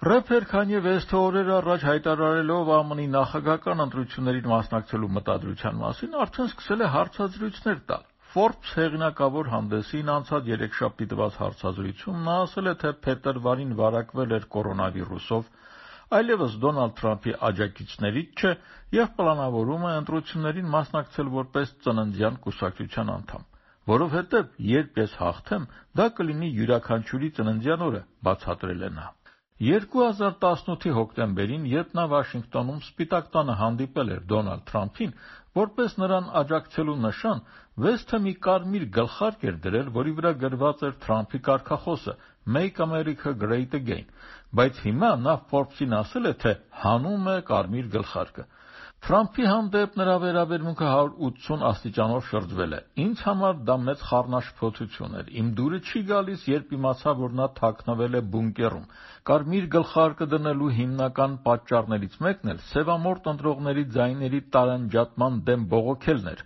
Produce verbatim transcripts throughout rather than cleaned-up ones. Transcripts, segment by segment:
Ռեփեր Քանյե Վեսթը օրեր առաջ հայտարարելով ԱՄՆ-ի նախագահական ընտրություններին մասնակցելու մտադրության մասին արդեն սկսել է հարցազրույցներ տալ։ Forbes հեղինակավոր հանդեսին անցած երեքշաբթի տված հարցազրույցում նա ասել է, թե փետրվարին վարակվել էր կորոնավիրուսով, այլևս Դոնալդ Թրամփի աջակիցներից չէ եւ պլանավորում է ընտրություններին մասնակցել որպես ծննդյան կուսակցության անդամ, որովհետեւ երբ ես հաղթեմ, դա կլինի յուրաքանչյուրի ծննդյան օրը, բացատրել է նա։ երկու հազար տասնութի հոկտեմբերին, երբ նա Վաշինգտոնում Սպիտակ տանը հանդիպել էր Դոնալդ Թրամփին, որպես նրան աջակցելու նշան, Վեսթը մի կարմիր գլխարկ էր դրել, որի վրա գրված էր Թրամփի կարգախոսը Make America Great Again, բայց հիմա նա Forbes-ին ասել է, թե հանում է կարմիր գլխարկը։ Թրամփի հանդեպ նրա վերաբերմունքը հարյուր ութսուն աստիճանով շրջվել է։ Ինձ համար դա մեծ խառնաշփոթություն էր։ Իմ դուրը չի գալիս, երբ իմացա, որ նա թաքնվել է բունկերում։ Կարմիր գլխարկը դնելու հիմնական պատճառներից մեկն էլ սևամորթ ընտրողների ձայների տարանջատման դեմ բողոքելն էր։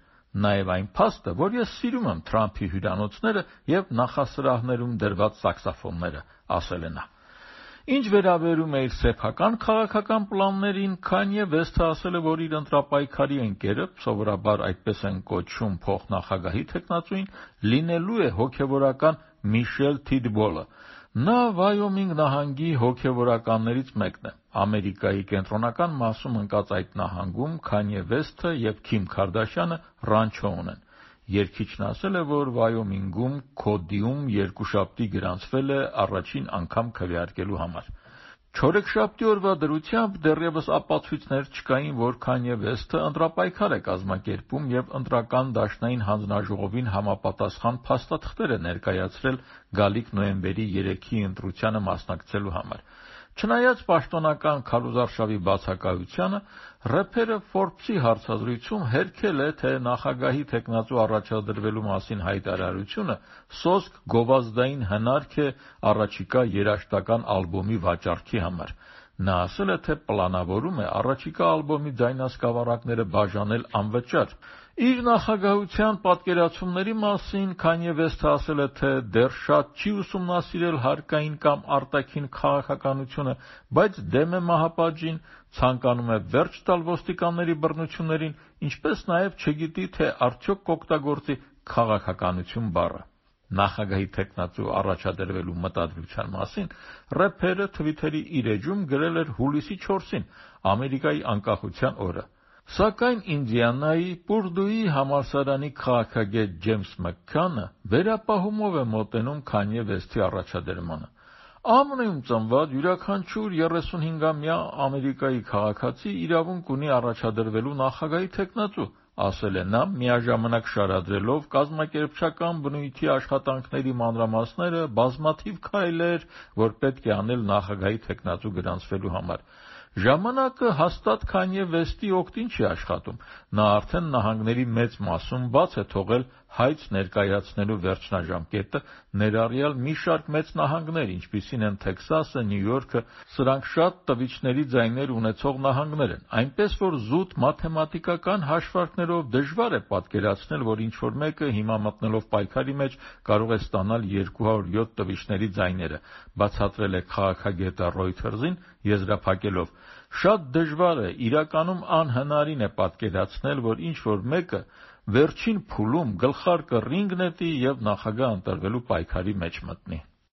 Նաև այն փաստը, որ ես սիրում եմ Թրամփի հյուրանոցները եւ նախասրահներում դրված սաքսոֆոնները, ասել է նա։ Ինչ վերաբերում է իր սեփական քաղաքական պլաններին, Քանյե Վեսթը ասել է, որ իր ընտրապայքարի ընկերը, սովորաբար այդպես են կոչում փոխնախագահի թեկնածուին, լինելու է հոգևորական Միշել Թիդբոլը։ Նա Վայոմինգ նահանգի հոգևորականներից մեկն է։ Ամերիկայի կենտրոնական մասում ընկած այդ նահանգում Քանյե Վեսթը եւ Քիմ Քարդաշյանը ռանչո ունեն։ Երգիչն ասել է, որ Վայոմինգում Քոդիում երկուշաբթի գրանցվել է առաջին անգամ քվեարկելու համար։ Չորեքշաբթի օրվա դրությամբ դեռևս ապացույցներ չկային, որ Քանյե Վեսթը ընտրապայքար է կազմակերպում եւ ընտրական դաշնային հանձնաժողովին համապատասխան փաստաթղթեր է ներկայացրել գալիք նոյեմբերի երեքի ընտրությանը մասնակցելու համար։ Չնայած պաշտոնական քարոզարշավի բացակայությանը, ռեփերը Forbes-ի հարցազրույցում հերքել է, թե նախագահի թեկնածու առաջադրվելու մասին հայտարարությունը սոսկ գովազդային հնարք է առաջիկա երաժշտական ալբոմի վաճառքի համար։ Նա ասել է, թե պլանավորում է առաջիկա ալբոմի ձայնասկավառակները բաժանել անվճար։ Իր նախագահության պատկերացումների մասին Քանյե Վեսթը ասել է, թե դեռ շատ չի ուսումնասիրել հարկային կամ արտաքին քաղաքականությունը, բայց դեմ է մահապատժին, ցանկանում է վերջ տալ ոստիկանների բռնություններին, ինչպես նաև չգիտի, թե արդյոք կօգտագործի քաղաքականություն բառը։ Նախագահի թեկնածու առաջադրվելու մտադրության մասին ռեփերը Թվիթերի իր էջում գրել էր հուլիսի չորսին, Ամերիկայի անկախության օրը։ Սակայն Ինդիանայի Պուրդուի համալսարանի քաղաքագետ Ջեյմս Մաքքանը վերապահումով է մոտենում Քանյե Վեսթի առաջադրմանը։ ԱՄՆ-ում ծնված յուրաքանչյուր երեսունհինգամյա Ամերիկայի քաղաքացի իրավունք ունի առաջադրվելու նախագահի թեկնածու, ասել է նա, միաժամանակ շարադրելով կազմակերպչական բնույթի աշխատանքների մանրամասները, բազմաթիվ քայլեր, որ պետք է անել նախագահի թեկնածու գրանցվելու համար։ Ժամանակը հաստատ Քանյե Վեսթի օգտին չի աշխատում։ Նա արդեն նահանգների մեծ մասում բաց է թողել հայց ներկայացնելու վերջնաժամկետը, ներառյալ մի շարք մեծ նահանգներ, ինչպիսին են Թեքսասը, Նյու Յորքը, սրանք շատ տվիչների ձայներ ունեցող նահանգներ են, այնպես որ զուտ մաթեմատիկական հաշվարկներով դժվար է պատկերացնել, որ ինչ-որ մեկը հիմա մտնելով պայքարի մեջ կարող է ստանալ երկու հարյուր յոթ տվիչների ձայները, բացատրել է քաղաքագետը Reuters-ին, եզրափակելով. Շատ դժվար է, իրականում անհնարին է պատկերացնել, որ ինչ-որ մեկը վերջին փուլում գլխարկը ռինգ նետի եւ նախագահ ընտրվելու պայքարի մեջ մտնի։